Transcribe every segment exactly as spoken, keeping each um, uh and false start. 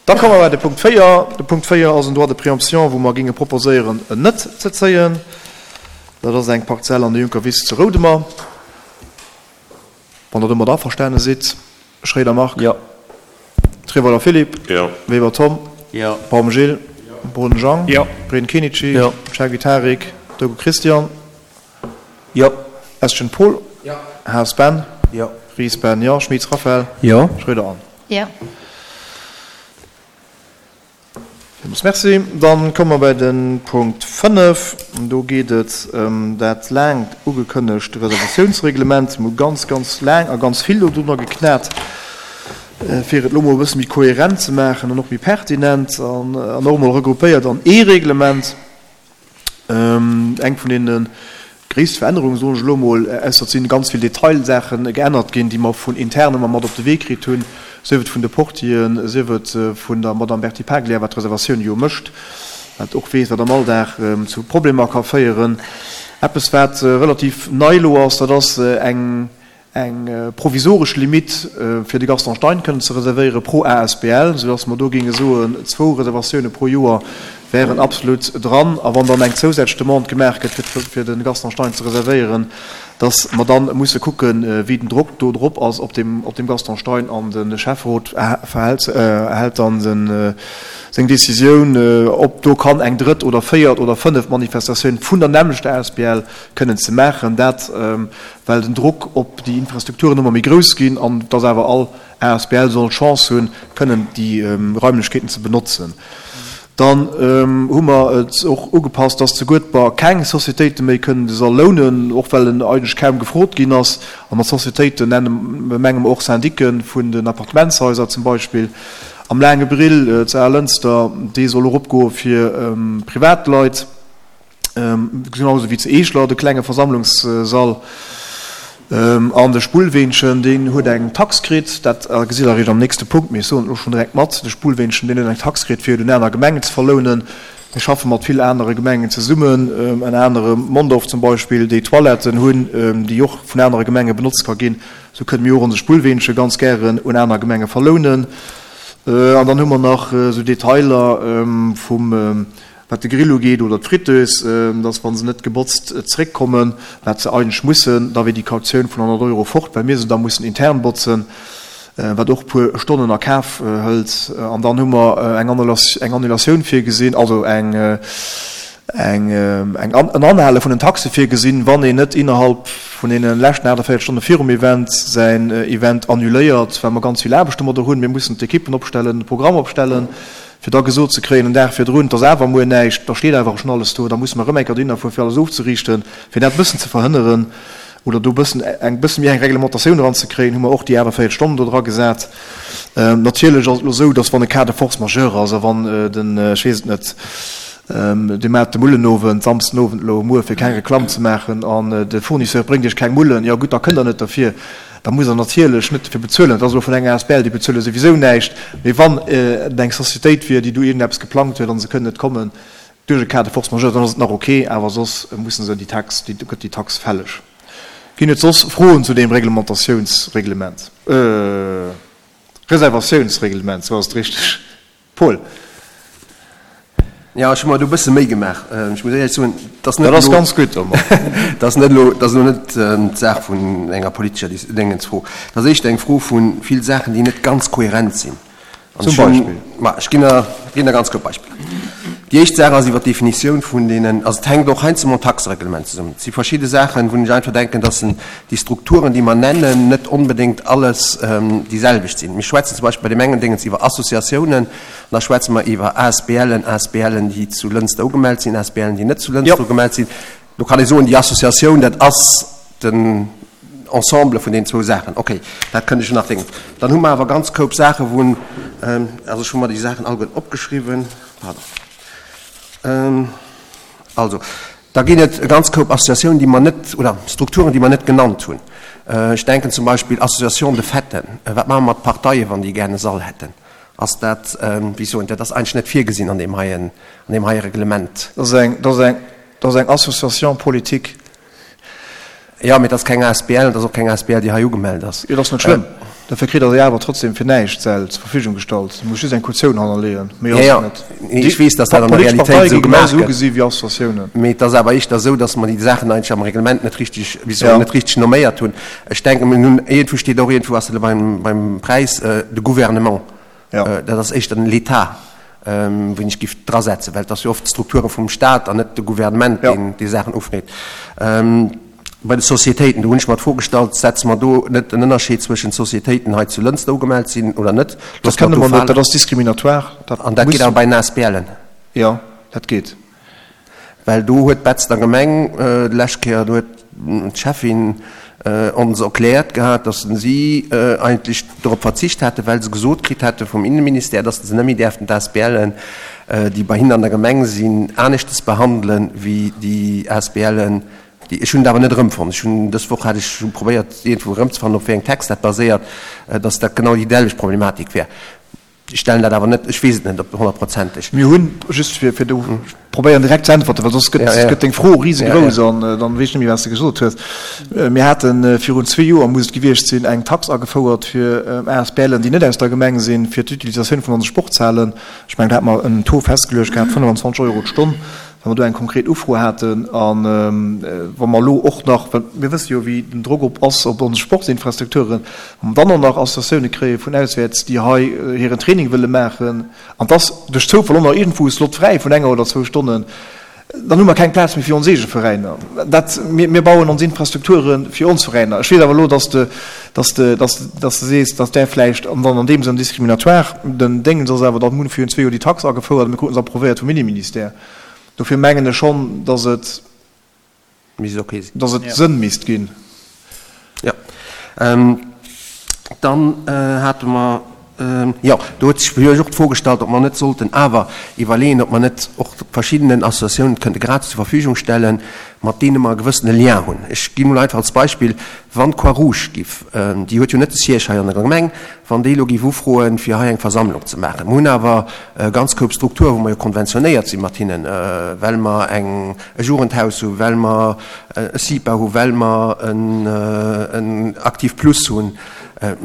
Da komme mer bei de Punkt véier. De Punkt véier ass en Droit de préemption, wou mer géinge proposéieren, en net ze zéien. Dat ass eng Parzell an der Junkerwiss zu Roudemer. Wann Der domat averstane sidd. Schroeder Marc. Jo. Treweiler Philippe. Jo. Weber Tom. Jo. Baum Gilles. Boden Jean. Jo. Breden Kenichi. Jo. Chergui Tarik. Dogo Christian. Jo. Estgen Paul. Jo. Haas Ben. Jo. Ries Ben, jo. Schmitz Raphaël. Jo. Schroeder Anne. Jo. Villmools Merci. Dann komme mer bei de Punkt fënnef. Do geet et ëm dat laang ugekënnegt Reservatiounsreglement. Mir hu ganz, ganz laang a ganz vill dodrunner geknat, fir et elo mol e bësse méi kohärent ze maachen an och méi pertinent an och emol regroupéiert an ee Reglement. Eng vun deene gréisste Verännerungen, soen ech elo emol, ausser et si ganz vill Detailsaache geännert ginn, déi mer vun intern ëmmer mat op de Wee kritt hunn, sief et vun de Portieren, sief et vun der Madame Berti Paglia, wat d'Reservatioun jo mécht, wat och weess, wat am Alldag zu Problemer ka féieren. Eppes, wat relativ nei elo ass, dat ass eng eng provisoresch Limite fir de Gaston Stein kënnen ze reservéiere pro asbl, soudass mer do géinge soen, zwou Reservatioune pro Joer wären absolut dran. A wann dann eng zousätzlech Demande gemaach gëtt, fir de Gaston Stein ze reservéieren, dass mer da musse kucken, wéi den Drock do drop ass op deem Gaston Stein. An de Schäfferot hält dann seng Décisioun, ob do kann eng drëtt oder véiert oder fënneft Manifestatioun vun der nämmlechter asbl kënnen ze maachen. Dat well den Drock op déi Infrastrukturen ëmmer méi grouss ginn an dass awer all asbl soll d'Chance hunn, kënnen déi Raimlechkeeten ze benotzen. Dann hu mer et och ugepasst, dass zu Guedber keng Societéite méi kënnen de Sall lounen, och well en eigentlech kaum gefrot ginn ass. A mat Societéiten nenne menge mer och Syndique vun den Appartementshaiser zum Beispill. Am Laange Brill zu Alënster, dee soll eropgoe fir Privatleit. Genau esou wéi zu Eeschler, de klenge Versammlungssall. An de Spullweenchen, deen huet eng Tax kritt, dat gesitt Der eréischt am nächste Punkt, mee ech soen et elo schonn direkt mat, de Spullweenchen, deen huet eng Tax kritt, fir et un aner Gemengen ze verlounen. Mir schaffe mat vill anere Gemengen zesummen, ënner anerem Mondorf zum Beispill, déi Toiletten hunn, déi och vun anere Gemenge benotzt ka ginn. Esou kënne mir och onse Spullweenche ganz gären un aner Gemenge verlounen. An dann hu mer nach esou Detailer vum Wat de Grill ugeet oder d'Fritteuse, dass wa se net gebotzt zeréckkommen, wat se eigentlech mussen, da wier déi Kautioun vun honnert Euro fort, well mir se da mussen intern botzen, wat och e puer Stonnen a Kaf hëlt. An dann hu mer eng Annulatioun virgesinn, also eng, eng, en Anhale vun den Taxe virgesinn, wann een net innerhalb vun deene leschten achtundvéierzeg Stonne virum Event säin Event annuléiert, well mer ganz vill Aarbecht domadder hunn. Mir mussen d'Ekippen opstellen, de Programm opstellen. Fir da gesot ze kréien en Dag virdrun, 't ass awer muer näischt, da steet awer schonn alles do, da musse mer erëm eng Kéier dohinner fueren, fir alles ofzeriichten. Fir dat e bëssen ze verhënneren oder do e bëssen eng bësse méi eng Reglementatioun eranzekréien, hu mer och déi achtundvéierzeg Stonnen do dra gesat. Natierlech ass et elo esou, dass wann e Cas de force majeure ass a wann den, ech weess et net, Dir maacht de Mullenowend, Samsden Owend elo muer, fir keng Reklamm ze maachen, an de Fournisseur bréngt Iech keng Mullen, jo gutt, da kënnt Der net derfir. Da musst Der natierlech net dofir bezuelen. Dat ass elo vun enger asbl, déi bezuele souwisou näischt. Mee wann et eng Societéit wier, déi do iergendeppes geplangt huet an se kënnen net kommen duerch e Cas de force majeure, dann ass et nach ok, awer soss musse se déi Tax, déi gëtt déi Tax fälleg. Ginn et soss Froen zu deem Reglementatiounsreglement, Reservatiounsreglement, sou ass et richteg. Paul. Jo, ech hu mer do e bësse Méi gemaach. Ech muss éierlech soen, dat ass net Dat ass elo, ganz gutt, Omar. dat ass net elo, dat ass elo net d'Saach vun enger politescher Dis-, Déngensfro. Dat ass éischter eng Fro vu vill Saachen, déi net ganz kohärent sinn. An Zum ech hunn, Beispill? ma ech ginn der, ginn der ganz kuerz Beispiller. Déi éischt Saach ass iwwer d'Definitioun vun deenen, also et hänkt och heiansdo mam Taxereglement zesummen. Et si verschidde Saachen, wou ech einfach denken, dass déi Strukturen, déi mer nennen, net onbedéngt alles déi selwecht sinn. Mir schwätzen zum Beispill bei deem engen Déngens iwwer Associatiounen, an da schwätze mer iwwer ASBLen, ASBLen, déi zu Lënster ugemellt sinn, ASBLen, déi net zu Lënster ugemellt sinn. Do kann ee soen, déi Associatioun, dat ass den Ensemble vun deenen zwou Saachen. Okay, dat kënnt ech nach denken. Dann hu mer awer ganz Koup Saachen, wou, also ech hu mer déi Saachen alleguerten opgeschriwwen, pardon, also da ginn et e ganz Koup Associatiounen, déi mer net, oder Strukturen, déi mer net genannt hunn. Ech denken zum Beispill Association de faiten. Wat maache mer mat Parteien, wann déi gären e Sall hätten? Ass dat, wéi ech soen, dat ass eigentlech net virgesinn an deem heien, an deem heie Reglement. Dat ass eng, dat ass eng, dat ass eng Association politique. Jo, mee dat ass keng asbl, dat ass och keng asbl, déi hei ugemellt ass. Jo, dat ass net schlëmm. Dofir kritt Der se awer trotzdem fir näischt, d'Säll zur Verfügung gestallt. Dir musst just eng Kautioun hannerleeën, méi ass et net. Nee, ech weess, dass dat an der Politesch Realitéit Parteie esou gi gemaach genauso gëtt. ugesi wéi Associatiounen. Mee et ass awer éischter esou, dass mer déi Saachen eigentlech am Reglement net richtig, wéi soll Ja. net richtig nomméiert hunn. Ech denken, mir hunn, iergendwou steet och iergendwou, ass dat elo beim, beim Präis, de Gouvernement. Ja. Dat ass éischter den l'État, ween ech giff drasetzen, well et ass jo oft d'Strukture vum Stat an net de Gouvernement, Ja. deen déi Saachen ufreet. Bei de Sociétéiten, do hunn ech mer d'Fro gestallt, Setze mer do net en Ënnerscheed zwëschent Sociétéiten hei zu Lënster ugemellt sinn oder net? Dat Loosse mer kënne do mer net, falen. dat ass discriminatoire. Dat An dat muss. geet awer bei den ASBLen? Jo, dat geet. Well do huet d'Betzder Gemeng d'lescht Kéier, do huet d'Schäffin ons erkläert gehat, datt si eigentlech dorop verzicht hätten, well se gesot kritt hätte vum Innenministère, datt se net méi däerften d'ASBLen, déi bei hinnen an der Gemeng sinn, aneschtes behandelen wéi déi ASBLen, déi, ech hunn et awer net erëmfonnt, ech hunn dës Woch hat ech hu probéiert iergendwou erëmzefannen, op wéi engem Text dat baséiert, datt dat genau déi selwecht Problematik wär. Ech stellen dat awer net, ech weess et net op honnertprozenteg. Mir hunn, just fir, fir do, ech probéieren direkt ze äntwerten, well soss gëtt, gëtt deng Fro risegrouss an dann weess ech net méi, wat s de gesot hues. Mir hate virun zwee Joer, muss et gewiescht sinn, eng Tax agefouert fir ASBLen, déi net aus der Gemeng sinn, fir d'Utilisatioun vun onse Sportshalen. Ech mengen, do hate mer en Taux festgeluecht gehat, fënnefenzwanzeg Euro d'Stonn. Wa mer do eng konkret Ufro haten a wa mer elo och nach, well mir wësse jo, wéi den Drock op ass op ons Sportsinfrastrukturen, wa mer dann och nach Associatioune kréie vun auswäerts, déi hei hiren Training wëlle maachen, an 't ass duerch Zoufall och nach iergendwou e Slot fräi vun enger oder zwou Stonnen, dann hu mer keng Plaz méi fir ons eege Veräiner. Dat, mir, mir bauen ons Infrastrukture fir ons Veräiner. Ech weess awer elo, dass de, dass de, dass, dass de sees, dass där vläicht an dann an deem Sënn discriminatoire. Den Déngens ass awer, datt mir hunn virun zwee Joer déi Tax agefouert a mir kruten se approvéiert vum Inneministère. Dofir mengen ech schonn, dass et, Misst ok sinn. dass et Sënn misst ginn. Jo. Dann hate mer, jo, do huet sech jo och d'Fro gestallt, ob mer net sollten awer iwwerleeën, ob mer net och verschiddenen Associatiounen kënnte gratis zur Verfügung stellen, mat deene mer e gewëssene Lien hunn. Ech ginn emol einfach als Beispill, Wann d'Croix-Rouge giff, déi huet jo net de Siège hei an der Gemeng, wann déi elo giff ufroen, fir hei eng Versammlung ze maachen, mer hunn awer e ganz Koup Strukturen, wou mer jo konventionéiert si mat hinnen, well mer eng e Jugendhaus hu, well mer e CIPA hu, well mer en Aktiv Plus hunn,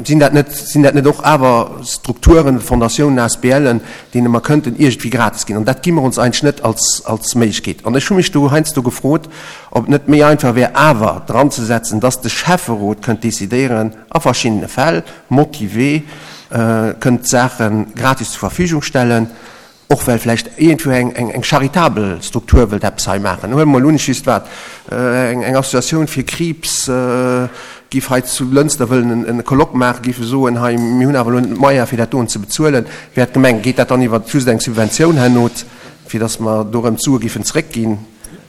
sinn dat net, sinn dat net och awer Strukturen, Fondatiounen, ASBLen, deene mer kënnten iergendwéi gratis ginn? An dat gi mer ons eigentlech net als, als Méiglechkeet. An ech hu mech do heiansdo gefrot, ob et net méi einfach wär, awer dranzesetzen, dass de Schäfferot kënnt decidéieren, a verschiddene Fäll, motivé, kënnt d'Saache gratis zur Verfügung stellen, och well vläicht iergendwou eng, eng, eng charitabel Struktur wëllt eppes hei maachen. Huele mer emol un, ech weess wat, eng, eng Associatioun fir Kriibs géif hei zu Lënster wëllen en, e Colloque maachen, géife soen, hei, mir hunn awer elo net d'Moyens, fir dat doen ze bezuelen. Wär d'Gemeng, geet dat dann iwwer just eng Subventioun herno, fir datt mer do erëm d'Sue géifen zréckginn,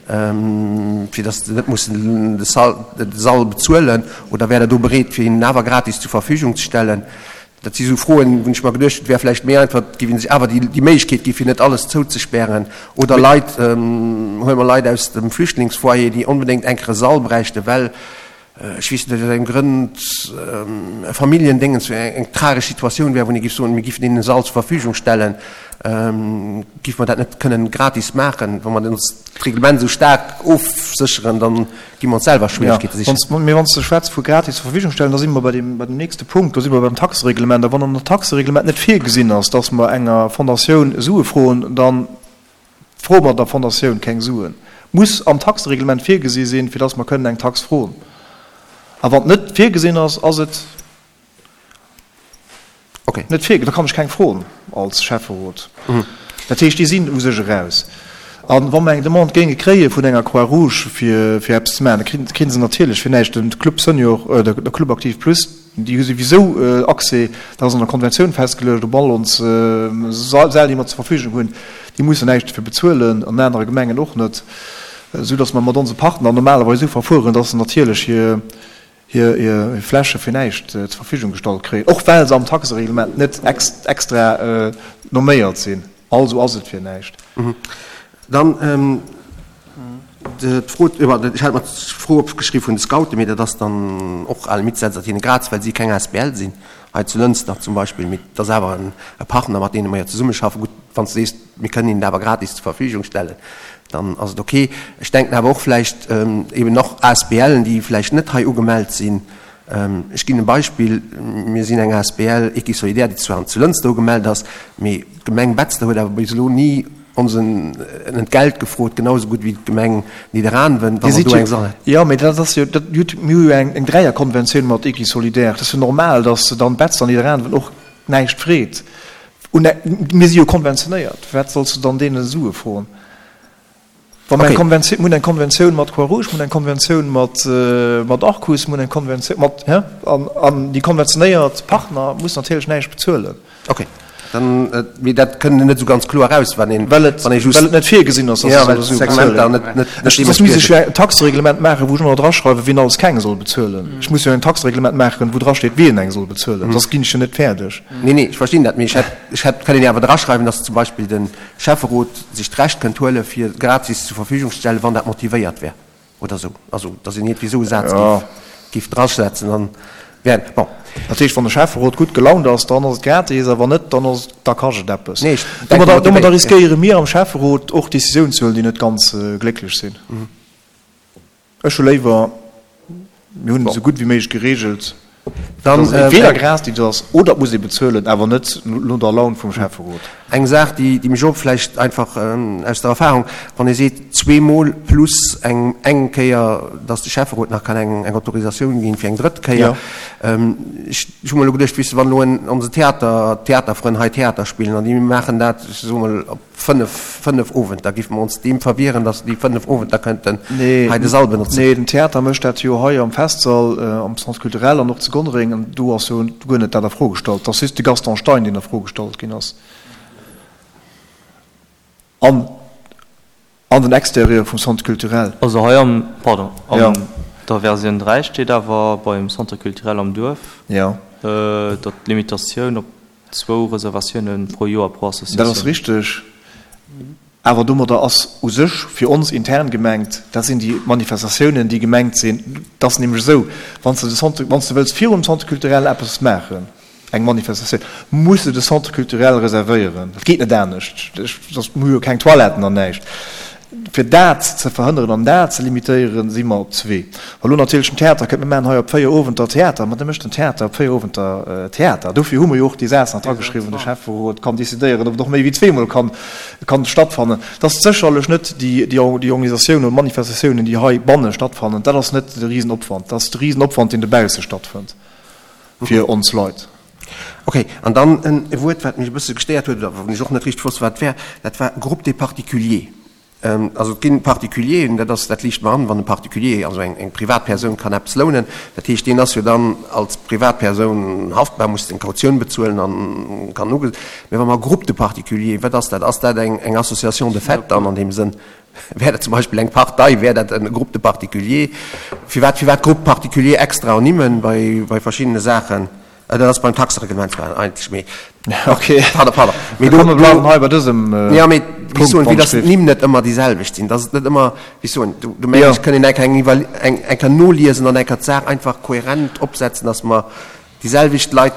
fir datt se net mussen de Sall, de Sall bezuelen, oder wär Der do bereet, fir hinnen awer gratis zur Verfügung ze stellen? Dat si sou Froen, wou ech mer geduecht hunn, et wär vläicht méi einfach, et géif ee sech awer déi Méiglechkeet gi fir net alles zouzespären. Oder Leit, huele mer Leit aus dem Flüchtlingsfoyer, déi onbedéngt eng Kéier e Sall bräichten, well, ech weess net aus wéi engem Grënd, e Familljendéngens, eng tragesch Situatioun wär, wou ee géif soen, mir géifen deenen e Sall zur Verfügung stellen, géife mer dat net kënnen gratis maachen. Wa mer ons d'Reglement esou staark ofsécheren, dann gi mer ons selwer Schwieregkeete sichen. Mee wann s de schwätz vu gratis zur Verfügung stellen, da si mer bei deem, bei dem nächste Punkt, do si mer beim Taxereglement. A wann an der Taxereglement net virgesinn ass, dass mer enger Fondatioun Sue froen, da froe mer der Fondatioun keng Suen. Muss am Taxereglement virgesi sinn, fir dass mer kënnen eng Tax froen. A wann et net virgesinn ass, ass et. Okay. Net vir, da kann ech keng froen als Schäfferot. Dat heescht, déi sinn u sech eraus. A wa mer eng Demande géinge kréie vun enger Croix-Rouge fir, fir eppes ze maachen, da kréie se natierlech fir näischt. De Club Senior, de Club Aktiv Plus, déi hu souwisou Accès, dat ass an der Konventioun festgeluecht, op all ons Säll, déi mer zur Verfügung hunn. Déi mussen näischt dofir bezuelen, an anere Gemengen och net, soudass mer mat onse Partner normalerweis esou verfueren, dass se natierlech hir, hir Fläche fir näischt zur Verfügung gestallt kréien, och well se am Taxereglement net extra nomméiert sinn. Also ass et fir näischt. Dann d'Fro, ech hat mer d'Fro opgeschriwwen vun de Scouten, mee dat ass dann och à la limite setzt dat hinne gratis, well si keng asbl sinn, hei zu Lënster zum Beispill. Mee et ass awer e Partner, mat deene mer jo zesummeschaffen. Gutt, wann s de sees, mir kënnen hinnen dat awer gratis zur Verfügung stellen, dann ass et ok. Ech denken awer och vläicht eben och ASBLen, déi vläicht net hei ugemellt sinn, Ech ginn e Beispill, Mir sinn eng asbl Equisolidaire, déi zwar zu Lënster ugemellt ass, mee d'Gemeng Betzder huet awer bis elo ni ons en Entgelt gefrot, genau esou gutt wéi d'Gemeng Nidderaanwen, wa mer do eng Sall hätten. Jo, mee dat ass jo, dat, mir hu jo eng Dräierkonventioun mat Equisolidaire. Et ass jo normal, datt dann Betzder an Nidderaanwen och näischt freet. Mir si jo konventionéiert. Firwat solls de dann deene Sue froen? Wa mer eng Konventioun, mir hunn eng Konventioun mat Croix-Rouge, mir hunn eng Konventioun mat, mat Arcus, mir hunn eng Konventioun mat, hä? An, an déi konventionéiert Partner mussen natierlech näischt bezuelen. Okay, dann, mee dat kënnt net esou ganz kloer eraus, wann een, Well et, wann ee just, well et net virgesinn ass, dass ja, se well solle Sue bezuelen. d'Segmenter net, net, net Ech, soss misst ech deementspriechend. jo e Taxereglement maachen, wou ech ëmmer draschreiwen, wien alles keng soll bezuelen. Ech muss jo en Taxereglement maachen, wou drasteet, wien eng soll bezuelen, soss ginn ech jo net fäerdeg. Nee, nee, ech verstinn dat, mee ech hätt, ech hätt kënnen awer draschreiwen, dass zum Beispill de Schäfferot sech d'Recht kënnt huele fir gratis zur Verfügung ze stellen, wann dat motivéiert wär oder esou. Also, datt een iergendwéi esou e Saz Ja. géif, géif drasetzen, dann wär, bon. Dat heescht, wann de Schäfferot gutt gelaunt ass, dann ass et gratis, a wann net, dann ass et, da kascht et eppes. Nee, ech denke Domadder, domadder motivéiert, ja. riskéiere mir am Schäfferot och Décisiounen ze huelen, déi net ganz glécklech sinn. Ech hu léiwer, mir hunn et esou gutt wéi méiglech geregelt, Dann, dass et entweder gratis ass oder et muss ee bezuelen, awer net no der Laun vum Schäfferot. Eng Saach, déi, déi mech och vläicht einfach aus der Erfahrung, wann ee seet zweemol plus eng, eng Kéier, dass de Schäfferot nach kann eng, eng Autorisatioun ginn fir eng drëtt Kéier. Ech, ech hu mer elo geduecht, weess de, wann elo en, onse Theater, d'Theaterfrënn hei Theater spillen an déi maachen dat, ech soe mol, op Fënnef, fënnef Owenter. Géife mer ons deem verwieren, datt déi fënnef Owenter kënnten hei de Sall benotzen? Nee, den Theater mécht dat jo hei am Festsall, am Centre culturel an och zu Gonnereng. An do ass jo guer net dat a Fro gestallt. Et ass just de Gaston Stein, deen a Fro gestallt ginn ass. An, an den Exterieur vum Centre culturel. Also hei am, pardon, an der Versioun dräi steet awer beim Centre culturel am Duerf, datt d'Limitatioun op Zwou Reservatioune pro Joer pro Dat ass Associatioun. richteg. Awer domadder ass u sech fir ons intern gemengt, dat sinn déi Manifestatiounen, déi gemengt sinn. Et ass nämlech esou, wann s de de Centre, wann s de wëlls virum Centre culturel eppes maachen, eng Manifestatioun, muss de de Centre culturel reservéieren. Dat geet net anescht. Soss, mir hu jo keng Toiletten an näischt. Fir dat ze verhënneren an dat ze limitéieren, si mer op zwee. Wa lo natierlech den Theater kënnt, mir maachen hei op véier Owenter Theater, ma da mécht den Theater op véier Owenter Theater. Dofir hu mer jo och dee Saz nach drageschriwwen, de Schäfferot kann decidéieren, ob et och méi wéi zweemol kann, kann stattfannen. Dat ass sécherlech net déi, déi Organisatiounen oder Manifestatiounen, déi heibanne stattfannen, dat ass net de Risenopwand. Dat ass de Risenopwand, deen dobausse stattfënnt fir ons Leit. Okay, an dann e Wuert, wat mech e bësse gestéiert huet oder wou ech och net richteg wosst, wat et wär, dat war Groupe des particuliers. Also et ginn Particulieren, dat ass, dat liicht mer an, wann e Particulier, also eng, eng Privatpersoun kann eppes lounen, dat heescht, deen ass jo dann als Privatpersoun haftbar, muss seng Kautioun bezuelen an kann uge. Mä wa mer Groupe de particuliers, wat ass dat? Ass dat eng, eng Association de fait dann an deem Sënn? Wär dat zum Beispill eng Partei? Wär dat e Groupe de particuliers? Firwat, firwat Groupe particulier extra ernimmen bei, bei verschiddene Saachen? Dat ass beim Taxereglement zwar eigentlech, mee Okay. Pardon, pardon. Mee Da do, komm, mir do, bleiwen hei bei dësem ja, mee wéi Punkt, soen, wéi wann dass ech d'Nimm net ëmmer déi selwecht sinn, dass et net ëmmer, wéi soen, do, do mengen Ja. ech, kënn een enker eng Iwwer, eng, eng Kéier noliesen an eng Kéier d'Saach einfach kohärent opsetzen, dass mer déi selwecht Leit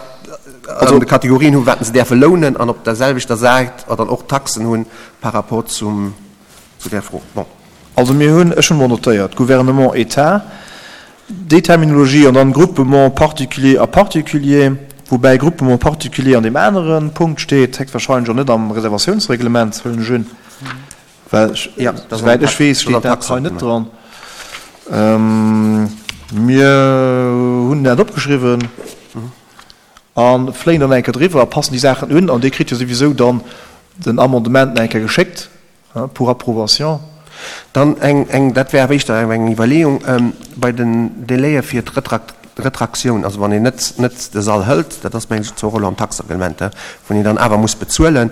an Also, de Kategorien hunn, wat se däerfe lounen an op der selwechter Säit dann och d'Taxen hunn par rapport zum, zu där Fro. Bon. Also mir hunn, ech hunn emol notéiert, Gouvernement, État, déi Terminologie an dann Groupement particulier a particulier, woubäi Groupement particulier an deem anere Punkt steet, héchstwahrscheinlech och net am Reservatiounsreglement, huelen ech un, well ech, Ja, dat ass am souwäit ech Tax, weess, dat ass steet am dat hei net Taxereglement. dran. Mir hunn dat opgeschriwwen a fléien dann eng Kéier driwwer a passen déi Saachen un an Dir kritt jo souwisou dann den Amendement nach eng Kéier geschéckt. Pour approbation. Dann eng, eng, dat wär awer éischter eng Iwwerleeung bei den Délaie fir d'Retraktioun, also wann een net, net de Sall hëlt, dat ass mengen ech zwar och elo am Taxereglement, wou een dann awer muss bezuelen.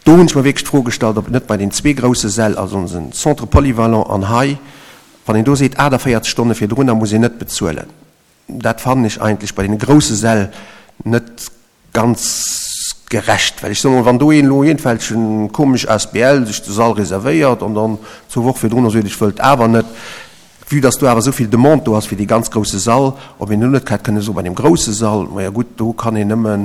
Do hunn ech mer wierklech d'Fro gestallt, ob et net bei den zwee grousse Säll, also onsen Centre polyvalent an hei, wann een do seet achtundvierzeg Stonne virdrunner muss een net bezuelen, dat fannen ech eigentlech bei deene grousse Säll net ganz gerecht, well ech soen emol, wann do een elo iergendwelchen komesch asbl sech de Sall reservéiert an dann zwou Woche virdrunner seet, ech wëllt awer net, vue dass do awer esou vill Demande do ass fir dee ganz grousse Sall, ob een do net hätt kënne soen, bei deem grousse Sall, maja gutt, do kann een nëmme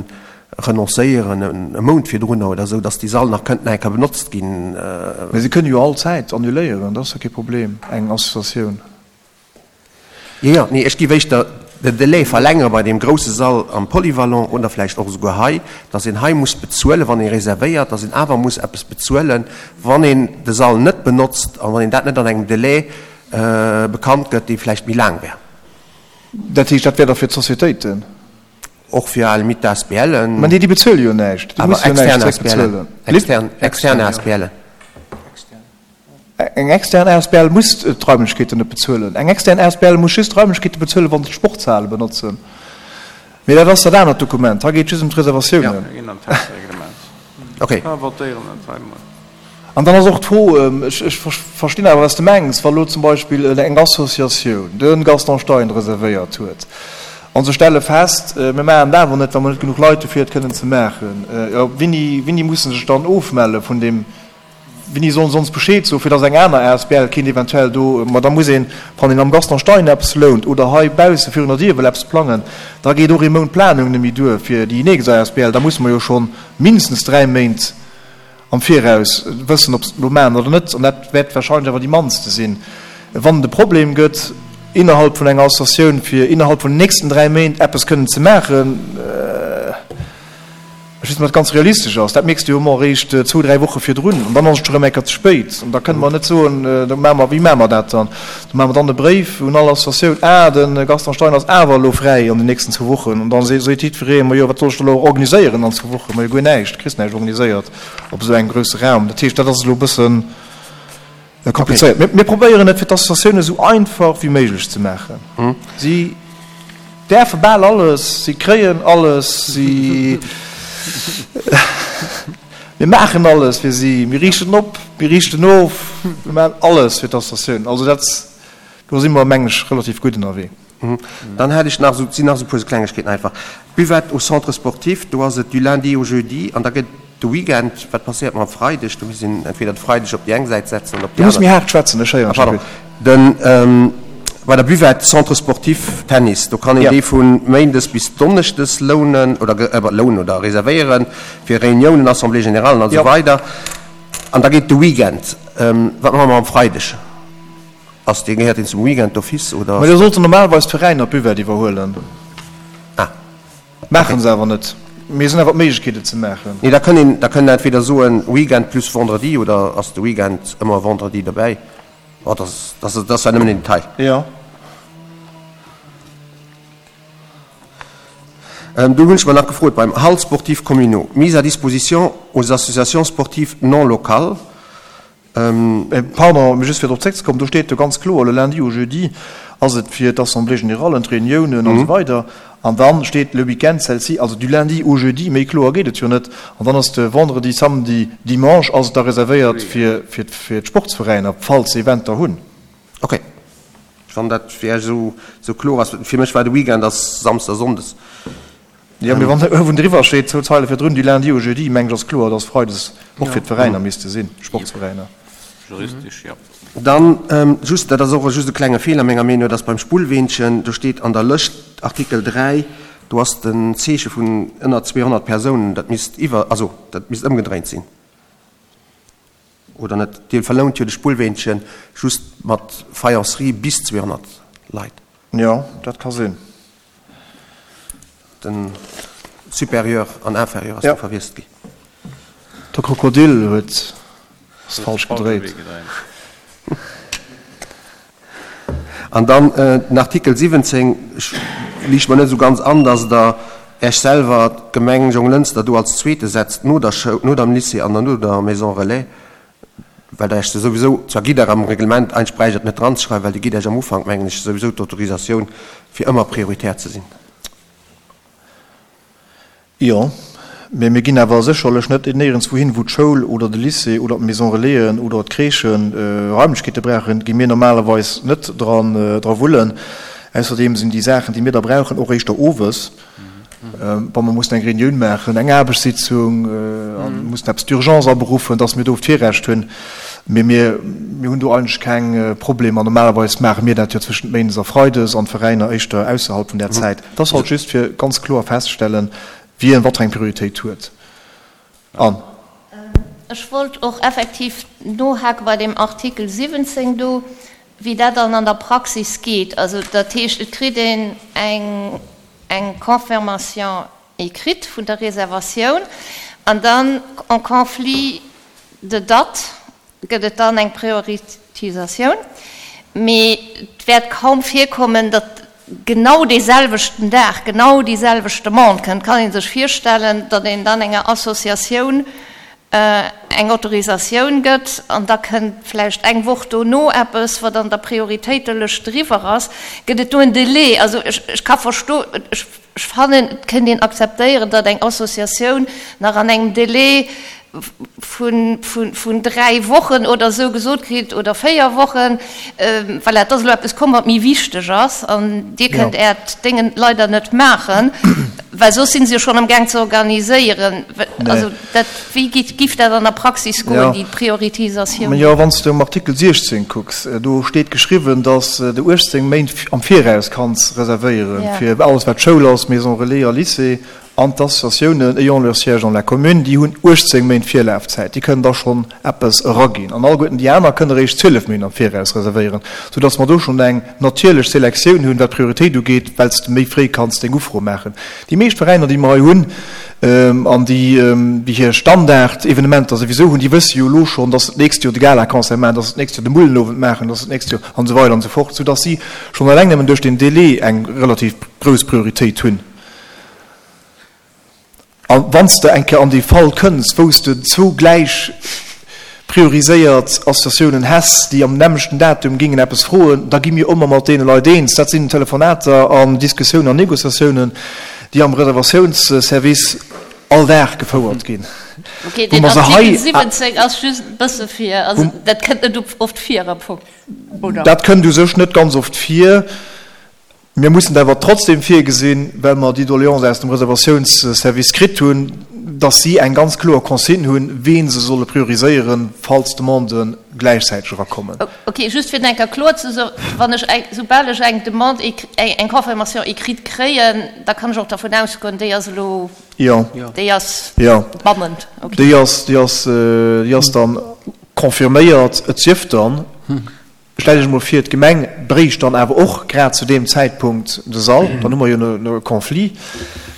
renoncéieren e Mount virdrunner oder esou, dass dee Sall nach kënnt nach eng Kéier benotzt ginn. Mä se kënne jo all Zäit annuléieren, dat ass jo kee Problem, eng Associatioun. Jo, jo, nee, ech géif éischter den Delai verlängere bei deem grouse Sall am Polyvalent oder vläicht och esouguer hei, dass een hei muss bezuelen, wann ee reservéiert, dass een awer muss eppes bezuelen, wann een de Sall net benotzt a wann een dat net an engem Delai bekannt gëtt, dee vläicht méi laang wär. Dat heescht, dat wär da fir d'Sociétéiten? Och fir à la limite d'ASBLen. Mä nee, déi bezuele jo näischt. Déi Awer musse jo näischt extern zréckbezuelen. ASBLen. Extern, extern ASBLen. Eng extern asbl muss d'Raimlechkeeten net bezuelen. Eng extern asbl muss just d'Raimlechkeete bezuelen, wa se d'Sportshale benotzen. Mee dat ass dat anert Dokument. Hei geet et just ëm d'Reservatiounen. Okay. An dann ass och d'Fro, ech verstinn awer, wat s de mengs, wa lo zum Beispill eng Associatioun de Gaston Stein reservéiert huet a se stelle fest, mir maachen et awer net, well mer net genuch Leit hu fir et kënnen ze maachen, jo, wéini, wéini musse sech dann ofmelle vun deem, wéini sollen se ons Bescheed soen, fir datt eng aner asbl kéint eventuell do, ma da muss een, wann een am Gaston Stein eppes lount oder hei bausse virun der Dier wëll eppes plangen, da geet och ee Mount Planung net méi duer fir déi nächst asbl, da musse mer jo scho mindestens dräi Méint am Viraus wëssen, ob se et elo maachen oder net, an dat wäert wahrscheinlech awer déi mannste sinn, wann et e Problem gëtt innerhalb vun enger Associatioun, fir innerhalb vun den nächsten dräi Méint eppes kënnen ze maachen. Ech weess net, ob dat ganz realistesch ass. Dat mierks de jo ëmmer eréischt zwou, dräi Woche virdrun, an dann ass et scho rëm eng Kéier ze spéit. An da kënne mer net soen, da maache mer, wéi maache mer dat dann? Da maache mer dann e Bréif un all Associatioun, Ah, de Gaston Stein ass awer elo fräi an den nächsten zwou Wochen. An da seet jiddweree, Ma jo, wat soll ech da elo organiséieren an zwou Wochen? Ma jo, guer näischt, du kriss näischt organiséiert op esou engem grousse Raum. Dat heescht, dat ass elo e bëssen komplizéiert. Mir, mir probéieren et fir d'Associatioune esou einfach wéi méiglech ze maachen. Si däerfe bal alles, si kréien alles, si, mir maachen alles fir si, mir riichten op, mir riichten of, mir maachen alles fir d'Associatioun. Also dat, do si mer, mengen ech, relativ gutt ënnerwee. Dann hätt ech nach esou, et sinn nach esou e puer Klengegkeeten einfach. D'Buvette au Centre sportif, do ass et du lundi au jeudi an da gëtt de Weekend, wat passéiert mam Freideg? Do misst een entweder de Freideg op déi eng Säit setzen oder op déi aner. Du muss méi haart schwätzen, ech héieren dech net gutt. Pardon. Bei der Buvette Centre sportif Tennis, do kann een déi vu méindes bis donneschdes lounen oder lounen oder reservéieren fir Reuniounen, Assemblées générales an esou weider. An da geet de Weekend. Wat maache mer am Freideg? Ass dee, gehéiert deen zum Weekend d'office oder? Mä do sollten normalerweis d'Veräiner d'Buvette iwwerhuelen. Ah. Maache se awer net. Mee se hunn awer d'Méiglechkeet et ze maachen. Nee, da kënn een, da kënn een entweder soen Weekend plus Vendredi oder ass de Weekend ëmmer Vendredi dobäi? Bon, dat ass, dat ass, dat ass zwar nëmmen en Detail. Jo. Do hunn ech mer nach gefrot beim Halles sportives communaux, mise à disposition aux associations sportives non locales. Pardon, mee just fir drop zréckzekommen, do steet jo ganz kloer, le lundi au jeudi ass et fir d'Assemblée générale, d'Reuniounen an esou weider an dann steet le week-end celle-ci, also du lundi au jeudi, méi kloer geet et jo net. An dann ass de Vendredi, Samedi, Dimanche ass et da reservéiert fir fir d'Sportsveräiner, falls se Eventer hunn. Okay, wann dat fir Iech esou kloer ass. Fir mech war de Weekend ass Samsdes a Sonndes. Jo, mee wann uewen driwwer steet, zwou Zeile virdrun, du lundi au jeudi, mengen ech ass kloer, dass Freides och fir d'Veräiner misste sinn, Sportsveräiner. Juristesch, jo. Dann just, dat ass och just e klenge Feeler menger Meenung no, dass beim Spullweenchen, do steet an der Lëscht, Artikel dräi, do ass den Zeeche vun ënner zweehonnert Persounen, dat misst iwwer, also dat misst ëmgedréint sinn, oder net? Dir verlount jo de Spullweenchen just mat Faïencerie bis zweehonnert Leit. Jo, dat ka sinn. Den Supérieur an Inférieur ass do verwiesselt gi. De Krokodil huet ass falsch gedréit. An dann den Artikel siwwenzéng, ech liicht mer net esou ganz an, dass Der Äech selwer, d'Gemeng Jonglënster, do als Zweete setzt no der Schoul, no dem Lycée an no der Maison Relais, well Der Äech se souwisou, zwar gitt Der am Reglement, eigentlech bräicht Der et net dranzeschreiwen, well Dir gitt Äech am Ufank, mengen ech, souwisou d'Autorisatioun, fir ëmmer prioritär ze sinn. Jo, mä mir ginn awer sécherlech net néierenswou hin, wou d'Schoul oder de Lycée oder d'Maison Relaisen oder d'Crèchen Raimlechkeete brauchen, gi mir normalerweis net dran dra wullen. Ausserdeem sinn déi Saachen, déi mir da brauchen, och éischter owes, wa mer mussen eng Reunioun maachen, eng Aarbechtssitzung a mussen eppes d'urgence aberuffen, dass mir do d'Virrecht hunn. Mee mir hunn do eigentlech keng Problemer. Normalerweis maache mir dat jo zwëschent Méindes a Freides an d'Veräiner éischter ausserhalb vun där Zäit. Et ass halt just fir ganz kloer feststellen, wien wat fir eng Prioritéit huet. An. Ech wollt och effektiv nohake bei deem Artikel siwwenzéng do. wéi dat dann an der Praxis geet. Also dat heescht, et kritt een eng, eng Confirmation écrite vun der Reservatioun an dann en conflit de date gëtt et dann eng Prioritisatioun. Mee et wäert kaum virkommen, datt genau dee selwechten Dag genau déi selwecht Demande kënnt. Kann ee sech virstellen, datt een dann enger Associatioun eng Autorisatioun gëtt an da kënnt vläicht eng Woch dono eppes, wat an der Prioritéitelëscht driwwer ass? Gëtt et do en Delai? Also ech, ech ka versto, ech, ech fannen, et kënnt een akzeptéieren, datt eng Associatioun nach an engem Delai vun, vun, vun dräi Wochen oder esou gesot kritt, oder véier Wochen, voilà, et ass elo eppes komm, wat méi wichteg ass an Dir kënnt Äert Déngen leider net maachen, well soss si se jo schonn amgaang ze organiséieren. Also dat, wéi geet, giff dat an der Praxis goen, déi Prioritisatioun? Jo, wann s de um Artikel siechzéng kucks, do steet geschriwwen, datt s de uechtzéng Méint am Viraus kanns reservéieren, fir alles wat Schoul ass, Maison relais a Lycée. An d'Associatiounen ayant leur siège dans la commune, déi hunn uechtzéng Méint Virlafzäit, déi kënnen da schonn eppes eraginn. An alleguerten déi aner kënnen eréischt zwielef Méint am Viraus reservéieren, soudass mer do schonn eng natierlech Selektioun hunn, wat d'Prioritéit ugeet, well s de méi fréi kanns deng Ufro maachen. Déi meescht Veräiner, déi mer hei hunn an déi, déi hir Standardevenementer souwisou hunn, déi wësse jo elo schonn, dass se d'nächst Joer de Galaconcert maachen, dass se d'nächst Joer de Mullenowend maachen, dass se d'nächst Joer an esou weider an esou fort, soudass si schonn eleng nëmmen duerch den Délai eng relativ grouss Prioritéit hunn. A wann s de eng Kéier an déi Fal kënns, wou s de zwou gläich prioriséiert Associatiounen häss, déi am nämmlechten Datum gingen eppes froen, da gi mir ëmmer mat deene Leit eens. Dat sinn Telefonater an Diskussiounen an Négociatiounen, déi am Reservatiounsservice all Dag gefouert ginn. Ok, deen Artikel siwwenzéng ass just e bësse fir, also dat kënnt net oft vir am Fong, oder? Dat kënnt u sech net ganz oft vir. Mir mussen et awer trotzdem virgesinn, well mer déi Doléance aus dem Reservatiounsservice kritt hunn, dass si eng ganz kloer Consigne hunn, ween se solle prioriséieren, falls Demandë gläichzäiteg erakommen. Ok, just fir et eng Kéier kloer ze soen, Wann ech eng, soubal ech eng Demande, eng Confirmation écrite kréien, da kann ech och dervun ausgoen, déi ass elo, déi ass bannend. Jo, déi ass, déi ass, déi ass dann confirméiert. Et sief dann, Stellt Iech emol vir, d'Gemeng bréicht dann awer och grad zu deem Zäitpunkt de Sall. Dann hu mer jo e Conflit.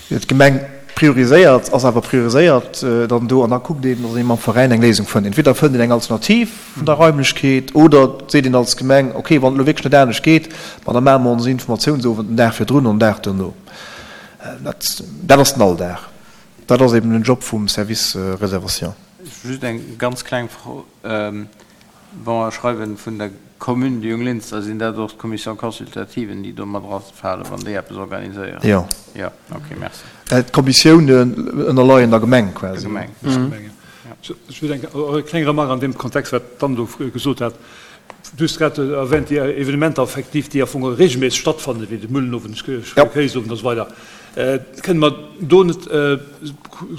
D'Gemeng prioriséiert, ass awer prioriséiert dann do an da kuckt een, datt ee mam Veräin eng Léisung fënnt. Entweder fënnt een eng Alternativ vun der Raimlechkeet oder seet een als Gemeng, okay, wann et elo wierklech net anescht geet, ma da maache mer onsen Informatiounsowend den Dag virdrun an den Dag duerno. Dat, dat ass den Alldag. Dat ass eben den Job vum Service Réservation. Just eng ganz kleng Fro. Wa mer schreiwen vun der Commune de Junglinster, sinn dat och d'Commissions consultativen, déi do mat erafalen, wann déi eppes organiséieren? Jo. Jo, ok, merci. D'Kommissiounen ënnerleien der Gemeng quasi. Der Gemeng. Ech wëll eng kleng Remarque an deem Kontext, wat d'Anne do gesot hat. Du hues grad erwähnt, déi Evenementer effektiv, déi am Fong regelméisseg stattfannen, wéi de Mullenowend, Kéisowend a sou weider. Kënne mer do net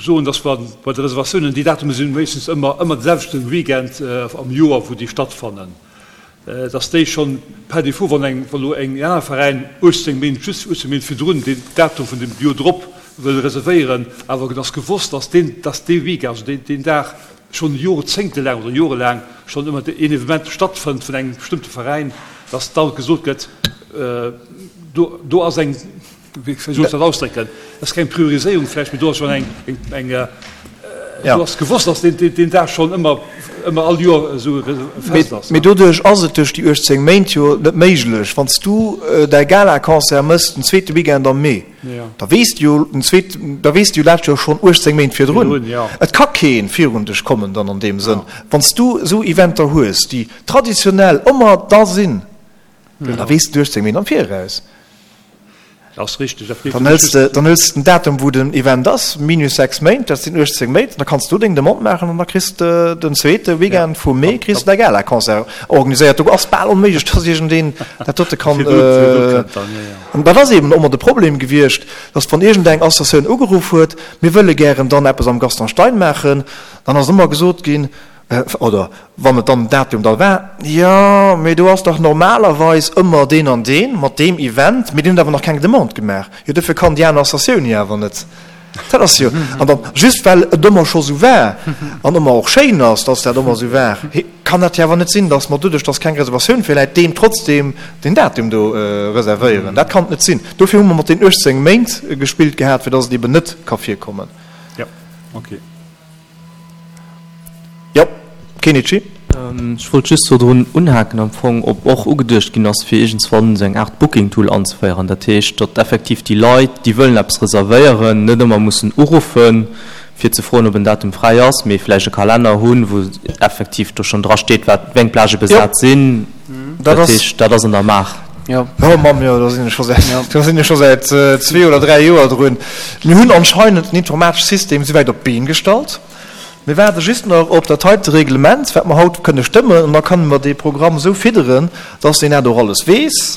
soen, dass mer bei de Reservatiounen, déi Datume si meeschtens ëmmer ëmmer de selwechte Weekend am Joer, wou déi stattfannen, dass déi schonn par défaut, wann eng, wann elo en aner Veräin uechtzéng Méint, just uechtzéng Méint virdrun deen Datum vun dem Joer drop wëll reservéieren, awer et ass gewosst, dass deen, dass dee Weekend, also deen, deen Dag schonn jorzéngtelaang oder jorelaang schonn ëmmer een Evenement stattfënnt vun engem bestëmmte Veräin, dass da gesot gëtt, do, do ass eng, Wéi soll ech dat ausdrécken? Dat ass keng Prioriséierung vläicht, mee do ass schonn eng, eng, do ass gewosst, dass deen, deen Dag schonn ëmmer, ëmmer all Joer esou e Fest ass. Mee doduerch ass et duerch déi uechtzéng Méint jo net méiglech. Wann s du däi Galaconcert mëss den zweete Weekend am Mee, da weess de jo den zweet, da weess de jo dat jo schonn uechtzéng Méint virdrun. Et ka kee virun dech kommen dann an deem Sënn. Wann s du esou Eventer hues, déi traditionell ëmmer da sinn, da weess de uechtzéng Méint am Viraus. Ass richteg. Dann hëls de, dann hëls de den Datum, wou den Event ass, minus sechs Méint, dat sinn uechtzéng Méint, an da kanns du deng Demande maachen an da kriss de den zweete Weekend vum Mee kriss de däi Galaconcert organiséiert. Do ass bal onméiglech, dass iergendeen dat dote kann. An dat ass eben ëmmer de Problem gewiescht, dass wann iergendeng Associatioun ugeruff huet, mir wëlle gären dann eppes am Gaston Stein maachen, dann ass ëmmer gesot ginn, Oder wann et dann den Datum da war, jo, mee do ass dach normalerweis ëmmer deen an deen mat deem Event, mee deen huet awer nach keng Demande gemaach. Jo, dofir kann déi aner Associatioun jo awer net. Dat ass jo, an dann, just well et ëmmer scho sou war an ëmmer och schéin ass, dass dat ëmmer sou war, kann dat jo awer net sinn, dass mer doduerch, dass keng Reservatioun virläit, deem trotzdem den Datum do reservéieren. Dat kann et net sinn. Dofir hu mer mat den uechtzéng Méint gespillt gehat, fir dass et eben net ka virkommen. Jo, okay. Jo, Kenichi. Ech wollt just do drun unhaken am Fong, ob och ugeduecht ginn ass, fir iergendswann esou eng Aart Booking-Tool anzeféieren. Dat heescht, datt effektiv déi Leit, déi wëllen eppes reservéieren, net ëmmer mussen uruffen, fir ze froen, ob en Datum fräi ass, mee vläicht e Kalenner hunn, wou effektiv do schonn drasteet, wat, wéi eng Plagë besat sinn. Dat heescht, dat ass an der Maach. Jo. Oh Mamm, jo, do sinn ech scho säit, do sinn ech scho säit zwee oder dräi Joer drun. Mir hunn anscheinend den informatesche System souwäit op d'Been gestallt. Mir waarde just nach op dat heite Reglement, wat mer haut kënne stëmmen, an da kënne mer dee Programm esou fidderen, dass deen dat och alles weess.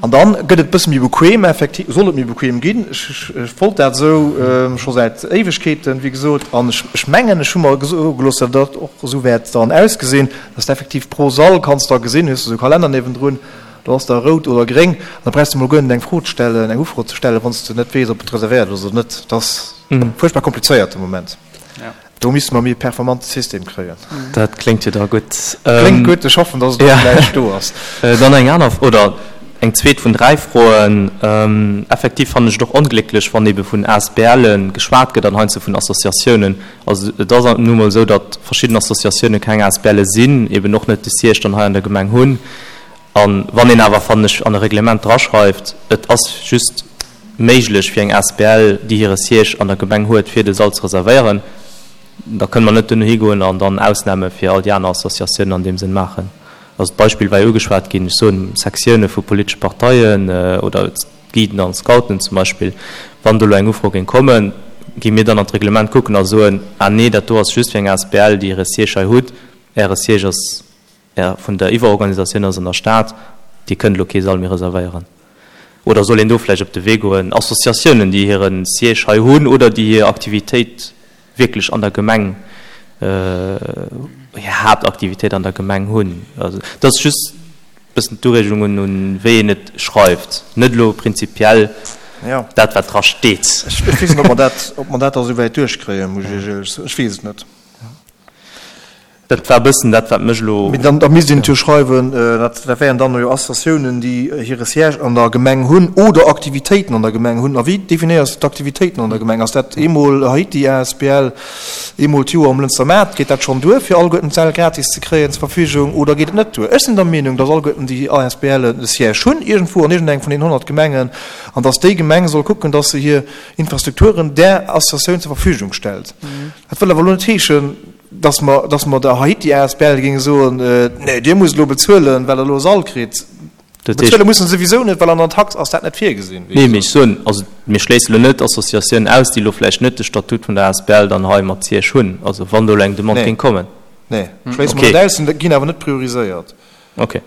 An da gëtt et e bësse méi bequem, effektiv soll et méi bequem ginn. Ech wollt dat esou scho säit Éiwegkeeten, wéi gesot, an ech mengen, ech hu mer soe gelooss, datt dat och esou wäert dann ausgesinn, dass de effektiv pro Sall kanns da gesinn, hues de esou e Kalenner niewendrun, do ass da rout oder gréng, an da brauchs de mol guer net eng Fro ze stellen, eng Ufro ze stellen, wann s de net weess, ob et reservéiert ass oder net. Dat ass fuerchtbar komplizéiert de Moment. Do misste mer méi e performante System kréien. Dat kléngt jo da gutt. Kléngt gutt, ech hoffen, dass et och gläich do ass. Dann eng aner, oder eng zweet vun dräi Froen. Effektiv fannen ech et och onglécklech, wann ebe vun ASBLe geschwat gëtt an heiansdo vun Associatiounen. Also et ass nu mol esou, datt verschidden Associatioune keng ASBLe sinn, eben och net de Siège dann hei an der Gemeng hunn. A wann een awer, fannen ech, an e Reglement draschreift, et ass just méiglech fir eng asbl, déi hire Siège an der Gemeng huet, fir de Sall ze reservéieren, da kënne mer net duerno higoen an dann Ausname fir all déi aner Associatiounen an deem Sënn maachen. Also d'Beispill war jo ugeschwat ginn, ech soen, Sektioune vu politesche Parteien oder d'Guiden an d'Scouten zum Beispill, wann do elo eng Ufro géing kommen, gi mir dann an d'Reglement kucken a soen, ah nee, dat do ass just fir eng asbl, déi hire Siège hei hutt, Äre Siège ass, Är vun der Iwwerorganisatioun ass an der Stad, Dir kënnt elo kee Sall méi reservéieren. Oder soll een do vläicht op de Wee goen, Associatiounen, déi hire Siège hei hunn oder déi hir Aktivitéit wierklech an der Gemeng, hir Haaptaktivitéit an der Gemeng hunn? Also dat ass just e bëssen d'Ureegung un, un wéi een et schreift, net elo prinzipiell dat, wat dra steet. Ech weess net, ob mer dat, ob mer dat da souwäit duerchkréien, muss ech Iech éierlech soen. Ech weess et net. Dat war e bëssen dat, wat mech elo. Mee dann, da misst een et jo schreiwen, dat, dat wären dann jo Associatiounen, déi hire Siège an der Gemeng hunn oder Aktivitéiten an der Gemeng hunn. A wéi definéiers de d'Aktivitéiten an der Gemeng? Ass dat eemol Haiti asbl, eemol d'Joer um Lënster Maart? Geet dat schonn duer, fir alleguerten d'Säll gratis ze kréien zur Verfügung, oder geet et net duer? Ech sinn der Meenung, dass alleguerten déi ASBLen e Siège hunn, iergendwou an iergendengem vun deenen honnert Gemengen, an dass déi Gemeng soll kucken, dass se hir Infrastrukturen där Associatioun zur Verfügung stellt. Dat wëll awer elo net heeschen, dass mer, dass mer der Haiti asbl géinge soen, Nee, Dir musst elo bezuelen, well Der elo e Sall kritt. Bezuele musse se souwisou net, well an der Tax ass dat net virgesinn. Nee, mee ech soen, also mir schléisse elo net Associatiounen aus, déi elo vläicht net de Statut vun der asbl dann hei mat Siège hunn, also wann do elo eng Demande géing kommen. Nee, schléisse mer net aus, ginn awer net prioriséiert. Okay.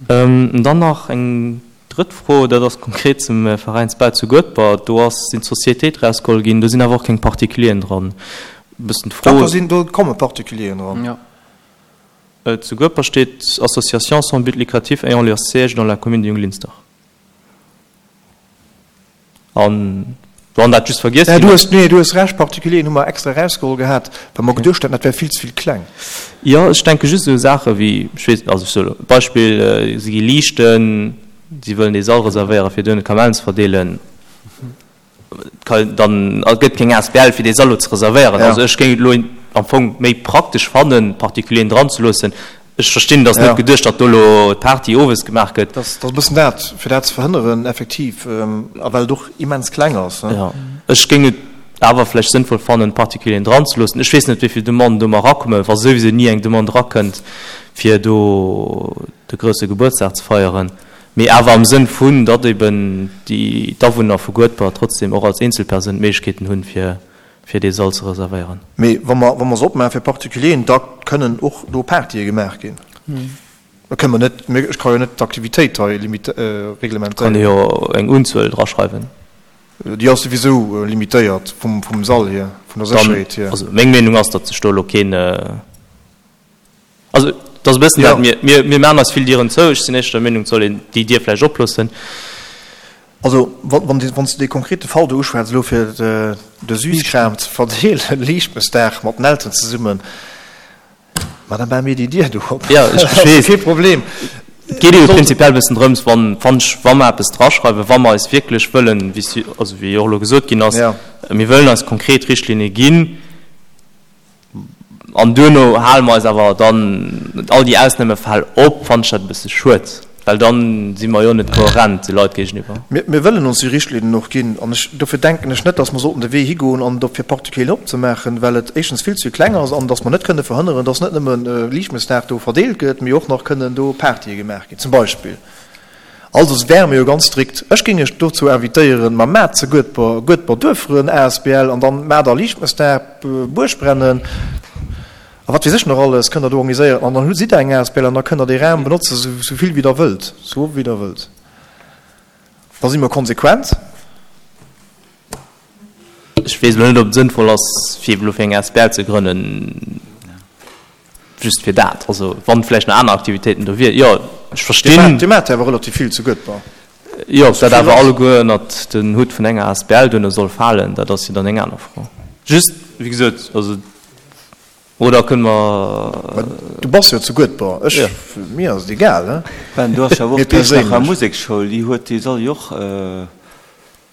Dann nach eng Drëtt Fro, dat ass konkret zum Veräinsbau zu Guedber. Do ass, sinn d'Sociétéit erausgeholl ginn, do sinn awer och keng Particulieren dran. E bëssen d'Fro. Dach, do sinn, do komme Particulieren dran. Jo. Zu Guedber steet, Associations sans but lucratif ayant leur siège dans la commune de Junglinster. An wann dat just vergiess ginn ass. Nee, du hues Recht, Particulieren hu mer extra erausgeholl gehat, well mer geduecht haten, dat wär vill ze vill kleng. Jo, ech denke just u Saache wéi, ech weess, also ech soe lo e Beispill, si gi liichten, si wëllen dee Sall reservéieren, fir duerno Kamellen ze verdeelen. Dann gëtt keng asbl, fir dee Sall lo ze reservéieren. Also ech géing et elo am Fong méi praktesch fannen, Particulieren dranzeloossen. Ech verstinn, et ass net geduecht, datt do elo d'Party owes gemaach gëtt. Dat ass e bëssen dat, fir dat ze verhënneren, effektiv, a well et och immens kleng ass. Jo, ech géing et awer vläicht sënnvoll fannen, d'Particulieren dranzeloossen. Ech weess net, wéi vill Demanden do mar erakommen, wa souwisou ni eng Demande erakënnt, fir do de grousse Gebuertsdag ze feieren. Mee awer am Sënn vun, datt eben déi d'Awunner vu Guedber trotzdem och als Eenzelpersoun d'Méiglechkeeten hunn, fir fir dee Sall ze reservéieren. Mee wa mer, wa mer se opmaache fir Particulieren, da kënnen och do Partye gemaach ginn. Da kënne mer net, ech ka jo net d'Aktivitéit hei reglementéieren. Kann ee jo eng Unzuel draschreiwen. Déi ass souwisou limitéiert vum, vum Sall hier, vun der Sécherheet hier. Also meng Meenung ass, datt sech do elo keen, also et ass e bëssen dat, mir, mir, mir maachen eis vill Dieren zou. Ech sinn éischter der Meenung, et soll een déi Dier vläicht oploossen. Also, wann wann s de dee konkrete Fall do uschwätz elo fir de Süßkram ze verdeelen, Liichtmëssdag mat den Elteren zesummen, ma da maache mir déi Dier do op. Jo, ech Dat ass weess. kee Problem. Et geet ebe prinzipiell e bëssen drëms, wann, wann ech, wa mer eppes draschreiwen, wa mer eis wierklech wëllen, wéi s, also wéi och elo gesot ginn ass, Ja. mir wëllen eis konkret Richtlinne ginn, An duerno hale mer eis awer dann all déi Ausnahmefäll op, fannen ech dat e bësse schued, well dann si mer jo net kohärent de Leit géigeniwwer. Mir wëllen ons déi Richtlinnen och ginn an ech, dofir denken ech net, dass mer sollten de Wee higoen an et op fir Particulieren opzemaachen, well et éischtens vill ze kleng ass an dass mer net kënne verhënneren, dass net nëmme Liichtmëssdag do verdeelt gëtt, mee och nach kënnen do Partye gemaach ginn zum Beispill. Also wäre mir jo ganz strikt. Ech géing iech dozou invitéieren, ma maacht ze Guedber, Guedber Duerferen asbl an dann maacht der Liichtmëssdag, Buergbrennen a wat weess ech nach alles kënnt der do organiséieren an dann hutt sidd der eng asbl an da kënnt der dee Raum benotzen, sou vill wéi der wëllt, sou oft wéi der wëllt. Da si mer konsequent. Ech weess elo net, ob et sënnvoll ass, fir elo fir eng asbl ze grënnen. Just fir dat, also wann vläicht nach aner Aktivitéiten do wier, jo, ech verstinn. Dir maacht jo awer relativ vill zu Guedber. Jo, ob dat awer alleguer ënnert den Hutt vun enger asbl duerno soll falen, dat ass jo dann eng aner Fro. Just, wéi gesot, also, oder kënne mer. Du bass jo zu Guedber, ech, mir ass et egal, he. Ben, do ass jo awer Mir och d'Iechternacher perséinlech. Museksschoul, déi huet dee Sall jo och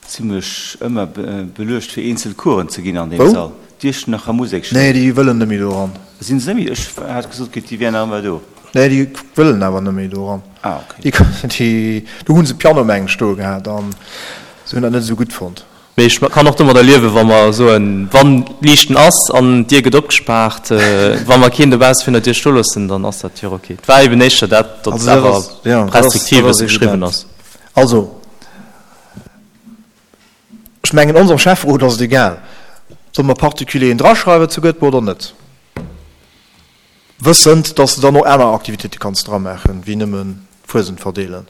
Zimlech ëmmer beluecht fir eenzel Coursen ze ginn an deem Wou? Sall. D'Iechternacher Musekschoul. Nee, déi wëllen net méi do eran. Sinn se net méi? Ech hat gesot kritt, déi wären nach ëmmer do. Nee, déi wëllen awer net méi do eran. Ah, ok. Déi, déi, do hu se Piano meng ech stoe gehat an se hunn dat net esou gutt fonnt. Mee ech kann och domadder liewen, wa mer soen, wann Liichten ass an d'Dier gëtt opgespaart, wa mer keen dobausse virun der Dier stoe loossen, dann ass dat jo ok. Et war eben éischter dat, datt Also et dat awer ass, jo, dat ass, restriktiv dat e ass bësse geschriwwen evident. ass. Also. Ech mengen, onsem Schäfferot ass et egal. Solle mer Particulieren draschreiwen zu Göteborg oder net? Wëssend, dass de dann och aner Aktivitéite kanns dramaachen, wéi nëmme Fuesent verdeelen.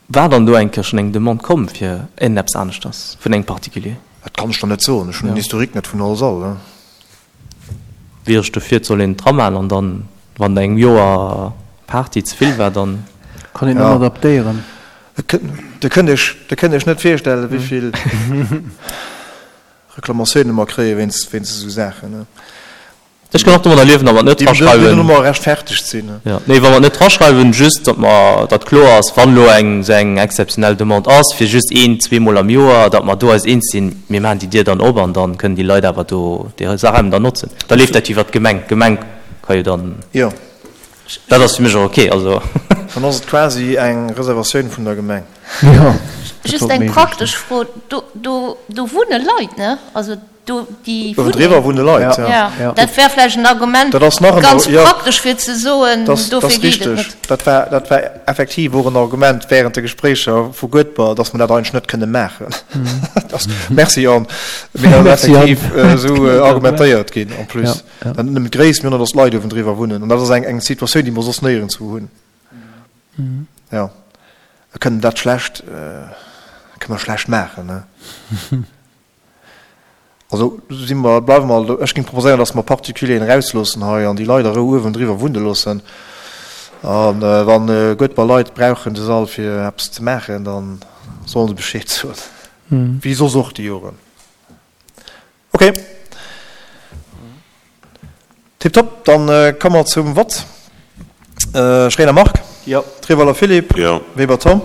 War dann do eng Kéier schonn eng Demande komm fir iergendeppes aneschters vun engem Particulier? Dat kann ech der net soen. Ech hunn den Historique net vun all Sall. Wier ech dofir, et soll een et dramaachen an dann, wann engem Joer Party ze vill war, dann. Kann een ëmmer adaptéieren. Dir kënnt Iech, Dir kënnt Iech net virstellen, wéi vill Reklamatiounen mer kréie wéinst, wéinst esou Saachen. Ech kann och domadder liewen, wa mer et net Déi déi draschreiwen. dann ëmmer rechtfertegt sinn. Jo, nee, wa mer et net draschreiwen, just datt mer, datt kloer ass, wann elo eng esou eng exzeptionell Demande ass, fir just een, zweemol am Joer, datt mer do eis eens sinn, mir maachen déi Dier dann op an da kënnen déi Leit awer do déi Raim dann notzen. Da leeft dat jo iwwert d'Gemeng. D'Gemeng ka jo dann. Jo. Dat ass fir mech och ok, also. Dann ass et quasi eng Reservatioun vun der Gemeng. Jo, dat Just wollt eng méi praktesch Fro, do, do, do wunne Leit, ne? Also do, déi Uewendriwwer wunnen. wunne Leit, ja. Ja, Ja. dat wär vläicht en Argument, Dat ass nach en, ganz jo. praktesch fir ze soen, Dat ass, dat dofir ass geet et richteg. net. Dat war, dat war effektiv och en Argument während de Gespréicher vu Guedber, dass mer dat eigentlech net kënne maachen. Dat ass, merci Anne, mee dat ass Merci Anne. effektiv esou argumentéiert ginn en plus. Ja, ja. Net nëmmen d'Gréisst, mee och nach, dass d'Leit uewendriwwer wunnen. An dat ass eng, eng Situatioun, déi mer soss néierenswou hunn. Jo, mir kënnen dat schlecht, kënne mer schlecht maachen, ne? Also si mer, bleiwe mer, ech géing proposéieren, dass mer Particulieren erausloossen hei an déi Leit a Rou uewendriwwer wunne loossen. A wann Guedber Leit brauchen de Sall fir eppes ze maachen, da sollen se Bescheed soen, wéi soss och déi Joren. Ok. Tiptop, dann komme mer zum Vott. Schréiner Marc. Jo. Treweiler Philippe. Jo. Weber Tom.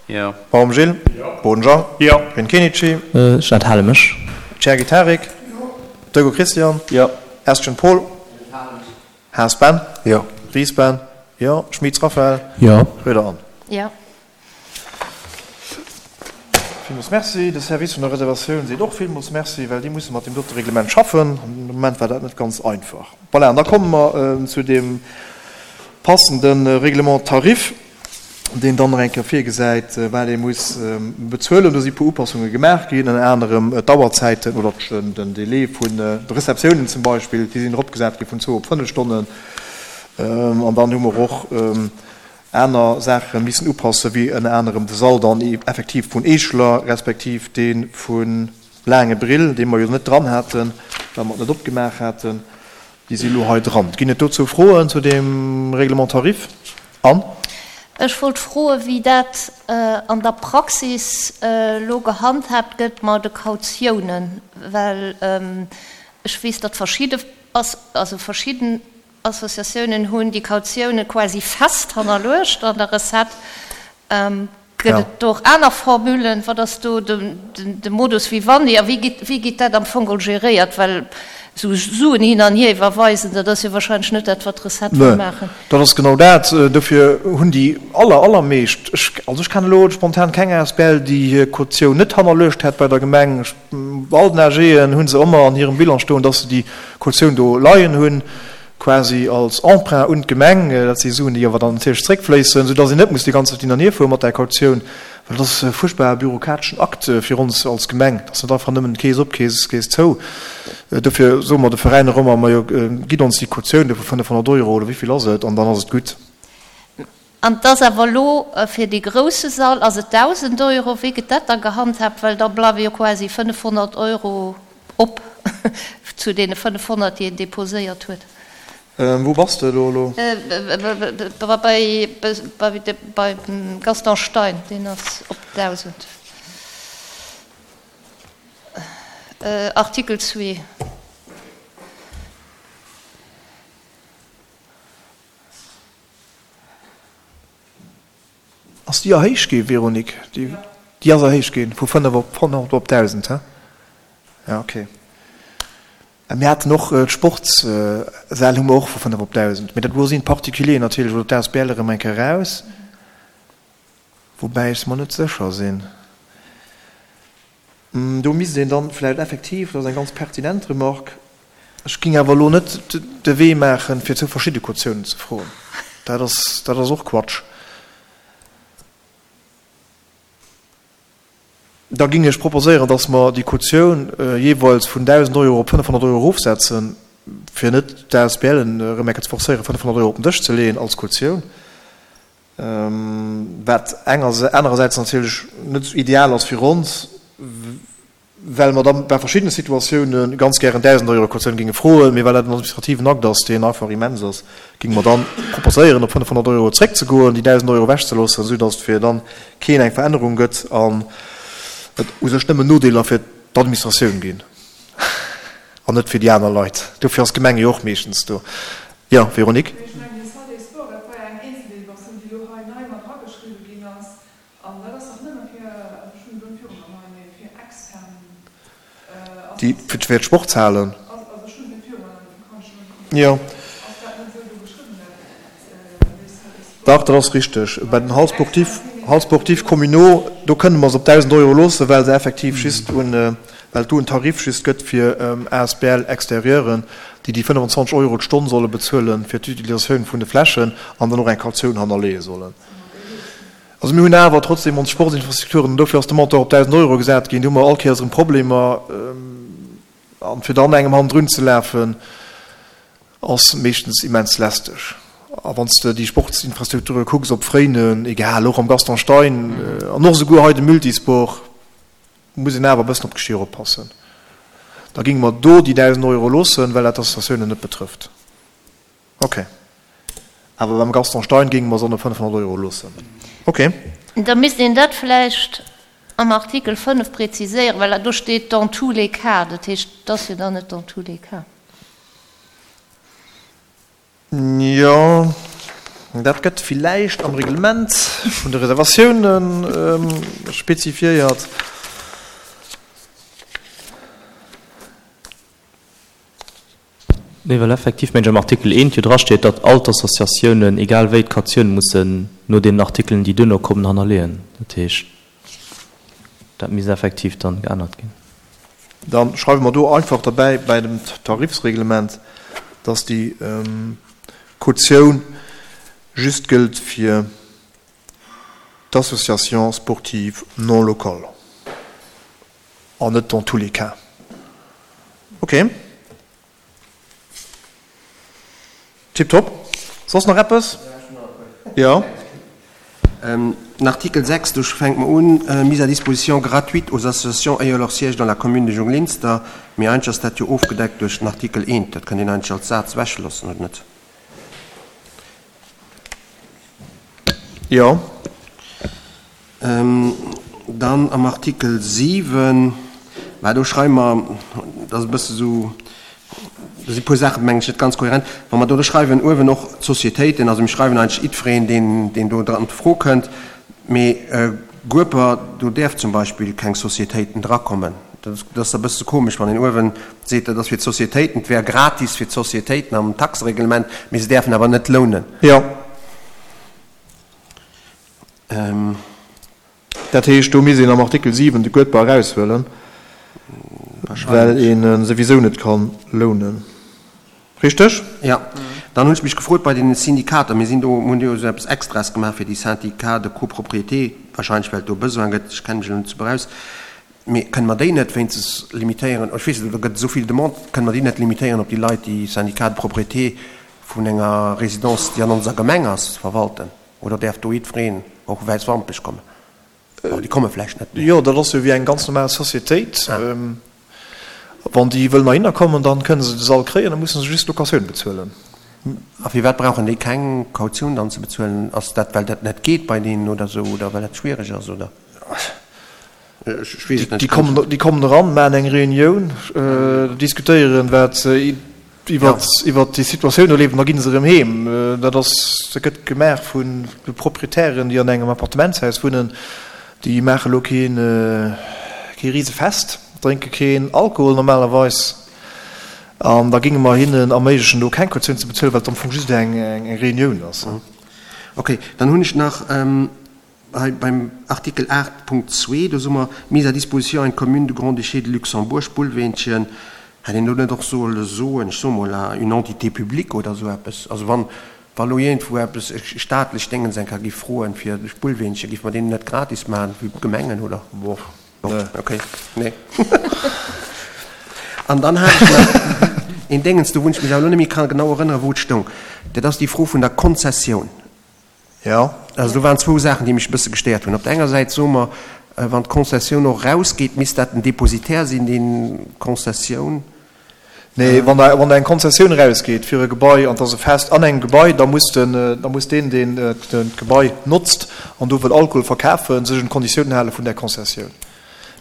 Jo. Baum Gilles. Jo. Boden Jean. Jo. Grün Kenichi. Ech enthale mech. Cherki Tarik. Jo. Deugo Christian. Jo. Estgen Paul. Haas Ben. Jo. Ries Ben. Jo. Schmitz Raphaël. Jo. Roeder Anne. Jo. Villmools Merci. De Service vun der Reservatioun seet och villmools Merci, well déi musse mat deem dote Reglement schaffen. Am Moment war dat net ganz einfach. Voilà, an da komme mer zu deem passende Règlement tarif, deen dann nach eng Kéier virgesäit, wat ee muss bezuelen. Do si puer Upassunge gemaach ginn, ënner anerem d'Auerzäiten oder den Délai vun de Receptiounen zum Beispill, déi sinn eropgesat gi vun zwou op fënnef Stonnen. An dann hu mer och aner Saache missen upassen, wéi ënner anerem de Sall dann effektiv vun Eescheler respektiv dee vu Laangebrill, dee mer jo net dran haten, well mer et net opgemaach haten. Déi si elo hei dran. Ginn et dozou Froen zu deem Règlement tarif? Anne? Ech wollt froen, wéi dat an der Praxis elo gehandhaabt gëtt mat de Kautiounen, well ech weess, datt verschidde, also verschidden Associatiounen hunn déi Kautioune quasi fest hannerluecht an der Recette. Gëtt et do och aner Formulen? Wat ass do de Modus vivendi a wéi gétt dat am Fong geholl geréiert? Well esou Suen hin an hier iwwerweisen, dat ass jo wahrscheinlech net dat, wat d'Recette wëll maachen. Dat ass genau dat. Dofir hunn déi aller, allermeescht, ech, also ech kennen elo spontan keng asbl, déi hir Kautioun net hannerluecht hätt bei der Gemeng. Ech, bei all den AGen hu se ëmmer an hirem Bilan stoen, dass se déi Kautioun do leien hunn, quasi als Emprunt un d'Gemeng. Dat si Suen, déi awer dann natierlech zréckfléissen, soudass een net muss déi ganz Zäit hin an hier fuere mat där Kautioun. Well dat ass e fuerchtbare bürokrateschen Akt fir ons als Gemeng. Dat ass net einfach nëmmen Kees op, Kees, Kees zou. Dofir soe mer de Veräiner ëmmer, Majo, gitt ons déi Kautioun do vu fënnefhonnert Euro oder wéi vill ass et, an dann ass et gutt. An et ass awer elo fir dee grousse Sall ass et dausend Euro. Wéi gëtt dat da gehandhaabt? Well da bleiwe jo quasi fënnefhonnert Euro op zu deene fënnefhonnert, déi een deposéiert huet. Wou bass de elo elo? Beim Gaston Stein, deen ass op dausend. Artikel zwee. Ass déi erhéicht gi, Véronique? Déi ass erhéicht gi vu fënnef op honnert op dausend, he? Ja, okay. Mir haten och d'Sportssäll hu mer och vu fënnef op dausend, mee dat do sinn d'Particulieren natierlech oder d'A S B L erëm eng Kéier eraus, woubäi ech mer net sécher sinn. Do misst een dann vläicht effektiv, dat ass eng ganz pertinent Remarque, ech géing awer elo net de Wee maachen, fir zwou verschidde Kautiounen ze froen, dat ass, dat ass och Quatsch. Da géing ech proposéieren, dass mer déi Kautioun jeeweils vun dausend Euro op fënnefhonnert Euro erofsetzen, fir net d'A S B L en erëm eng Kéier ze forcéieren, fënnefhonnert Euro op den Dësch ze leeën als Kautioun, wat anerersäits natierlech net esou ideal ass fir ons, well mer da bei verschiddene Situatioune ganz gären dausend Euro Kautioun géinge froen, mee well dat en administrativen Akt ass, deen einfach immens ass, géinge mer dann proposéieren, op fënnefhonnert Euro zréckzegoen, déi dausend Euro ewechzeloossen, esou datt fir dann keen eng Verännerung gëtt an et u sech nëmmen Nodeeler fir d'Administratioun ginn an net fir déi aner Leit. Dofir ass d'Gemeng jo och meeschtens do. Jo, Véronique? Mee ech mengen, déi Salle des Sports, dat war jo eng Eenzeldeliberatioun, déi elo hei nei mat erageschriwwe ginn ass. An dat ass dach nëmme fir, also ech hunn elo net viru mer hei, mee fir extern Déi fir d'Sportshalen. Also ech hunn et net viru mer, dofir kann ech elo net kommentéieren. Jo. Ass dat net esou do geschriwwen, dat, déi Salle des Sports? Dach, dat ass richteg. Bei den Halles sportives, Halles sportives communaux, do kënne mer se op dausend Euro loossen, well se effektiv just un, well et do en Tarif just gëtt fir A S B L Extérieuren, déi déi fënnefenzwanzeg Euro d'Stonn solle bezuelen fir d'Utilisatioun vun de Flächen an dann och eng Kautioun hannerleeë sollen. Also mir hunn awer trotzdem ons Sportsinfrastrukturen, an dofir ass de Montant op dausend Euro gesat ginn, do hu mer all Kéiers erëm Problemer, an fir dann engem hannendrun ze lafen, ass meeschtens immens lästeg. A wann s de déi Sportsinfrastrukture kucks op Fréinen, egal, och am Gaston Stein an och esouguer hei de Multisport, muss een awer e bëssen op d'Geschier oppassen. Da géinge mer do déi dausend Euro loossen, well dat d'Associatiounen net betrëfft. Okay. Awer beim Gaston Stein géinge mer se op fënnefhonnert Euro loossen. Okay. Da misst een dat vläicht am Artikel fënnef präziséieren, well do steet dans tous les cas. Dat heescht, et ass jo dann net dans tous les cas. Jo, dat gëtt villäicht am Reglement vun de Reservatiounen spezifiéiert. Nee, well effektiv, mengen ech, am Artikel eent jo drasteet, datt all d'Associatiounen, egal wéi, d'Kautioun mussen no deenen Artikelen, déi duerno kommen, hannerleeën. Dat heescht, dat misst effektiv dann geännert ginn. Da schreiwe mer do einfach derbäi bei dem Tarifsreglement, dass déi Kautioun just gëllt fir d'Associations sportives non locales an net dans tous les cas. Okay. Tiptop. Soss nach eppes? Jo. Den Artikel sechs, do fänkt mer un, Mise à disposition gratuite aux associations ayant leur siège dans la commune de Junglinster. Mee eigentlech ass dat jo ofgedeckt duerch den Artikel eent. Dat kënnt een eigentlech als Saz ewechloossen, oder net? Jo. Dann am Artikel siwen, mä do schreiwe mer, dat ass e bësse sou, do si puer Saachen, mengen ech, net ganz kohärent, wa mer do schreiwen uewen och d'Sociétéiten, also mir schreiwen eigentlech jiddwereen, deen, deen do an d'Fro kënnt, mee Gueper, do däerf zum Beispill keng Sociétéiten drakommen. Dat ass e bësse komesch, wann een uewen seet, dat ass fir d'Sociétéiten, et wär gratis fir d'Sociétéiten am Taxereglement, mee se däerfen awer net lounen. Jo. Dat heescht, do misst een am Artikel siwen de Guedber eraushuelen, well een e souwisou net ka lounen. Richteg? Jo. Dann hunn ech mech gefrot bei deene Syndikater, mir sinn do, mir hunn jo esou eppes Extraes gemaach fir déi Syndicats de copropriété, wahrscheinlech well et do e Besoin gëtt, ech kenne mech elo net super aus, mee kënne mer déi net wéinstens limitéieren, ech weess net, do gëtt esou vill Demande, kënne mer déi net limitéieren op déi Leit, déi Syndicats de propriété vun enger Résidence, déi an onser Gemeng ass, verwalten? Oder däerf do jiddwereen, och Wäiswampech, kommen? Bon, déi komme vläicht net méi. Jo, dat ass jo wéi eng ganz normal Societéit. Wann déi wëllen heihinner kommen, dann kënne se de Sall kréien, da musse se just d'Locatioun bezuelen. A firwat brauchen déi keng Kautioun dann ze bezuelen? Ass dat, well dat net geet bei deenen oder esou, oder well dat schwiereg ass, oder? Ech weess et net. Déi kommen, déi kommen eran, maachen eng Reunioun, diskutéieren, wat iwwert, iwwert déi Situatioun do leeft, an da gi se erëm heem. Dat ass, dat gëtt gemaach vun de Proprietären, déi an engem Appartementshaus wunnen. Déi maache lo keen, kee Risefest, drénke keen Alkohol normalerweis. An da géinge mer hinnen erméiglechen, do keng Kautioun ze bezuelen, well et am Fong just eng, eng Reunioun ass. Okay, dann hunn ech nach Hei beim Artikel aacht, Punkt zwee, do soe mer, Mise à disposition à une commune du Grand-Duché de Luxembourg, Spullweenchen, hätt een do net och solle soen, ech soe mol, à une entité publique oder esou eppes? Also wann, wa lo iergendwou eppes e staatlech Déngens eng Kéier giff froen fir de Spullweenchen, giff mer deen net gratis maachen wéi d'Gemengen, oder? Boah, nee. Okay, nee. An dann hat ech nach een Déngens, do wou ech mech awer elo net méi ka genau erënneren, wou et stoung. Dat ass déi Fro vun der Konzessioun. Jo. Also do waren zwou Saachen, déi mech e bësse gestéiert hunn. Op der enger Säit soe mer, wann d'Konzessioun och erausgeet, misst dat den Dépositaire sinn, deen d'Konzessioun. Nee, wann der, wann der eng Konzessioun erausgeet fir e Gebai an et ass e Fest an engem Gebai, da muss den, da muss deen, deen d'Gebai notzt an do wëll Alkohol verkafen, sech un d'Konditiounen hale vun där Konzessioun.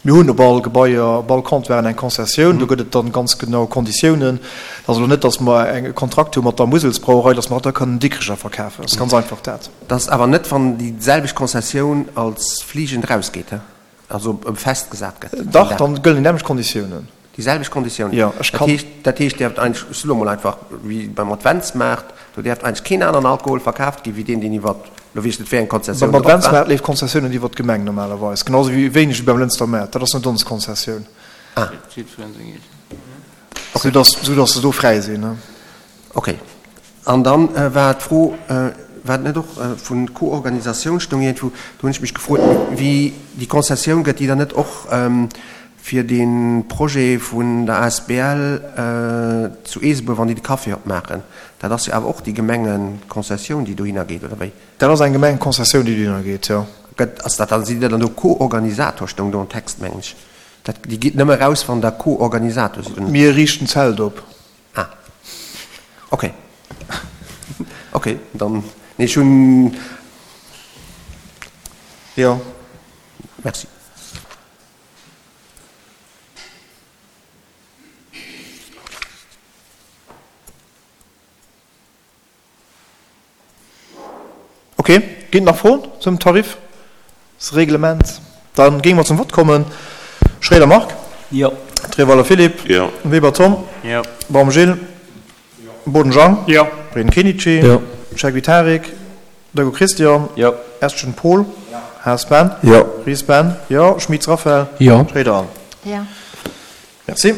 Mir hunn op all Gebaier, op all Comptoiren eng Konzessioun. Do gëtt et dann ganz genau Konditiounen. Et ass elo net, datt mer e Kontrakt hu mat der Muselsbrauerei, datt mer da kënnen Dikrecher verkafen. Et ass ganz einfach dat. Dat ass awer net, wann déi selwecht Konzessioun als fliegend erausgeet, he? Also festgesat gëtt. Dach, dann gëllen déi nämmlecht Konditiounen. Déi selwecht Konditiounen. Jo, ech kann. Dat heescht, däerft eigentlech, ech soe lo mol einfach, wéi beim Adventsmaart, do däerft eigentlech keen aneren Alkohol verkaaft ginn, wéi deen, deen iwwer, lo weess ech net, wéi eng Konzessioun drop war. Beim Adventsmaart leeft d'Konzessioun net iwwer d'Gemeng normalerweis, genau esou wéi wéineg wéi beim Lënster Maart. Dat ass net ons Konzessioun. Ah. Sou dass, sou dass se do fräi sinn. Okay. An dann war d'Fro, war et net och vun Co-Organisatioun stoung iergendwou, do hunn ech mech gefrot, wéi déi Konzessioun gëtt déi dann net och fir dee Projet vun der asbl zu Eesebuer, wann déi de Café opmaachen, dat ass jo awer och déi Gemengekonzessioun, déi dohinner geet, oder wéi? Dat ass eng Gemengekonzessioun, déi dohinner geet, jo. Gëtt, ass dat dann, sidd Dir dann do Co-Organisator, stoung do am Text, mengen ech. Dat, déi geet nëmme raus, wann Der Co-Organisator sidd, oder? Mir riichten d'Zelt op. Ah, okay. Okay, dann, nee, ech hunn. Jo. Merci. Ok, ginn et nach Froen zum Tarifsreglement? Da géinge mer zum Vott kommen. Schroeder Marc. Jo. Treweiler Philippe. Jo. Weber Tom. Jo. Baum Gilles. Jo. Boden Jean. Jo. Breden Kenichi. Jo. Schegwi Tarik. Dego Christian. Jo. Estgen Paul. Jo. Haas Ben. Jo. Ries Ben. Jo. Schmitz Raphaël. Jo. Schroeder Anne. Jo. Merci.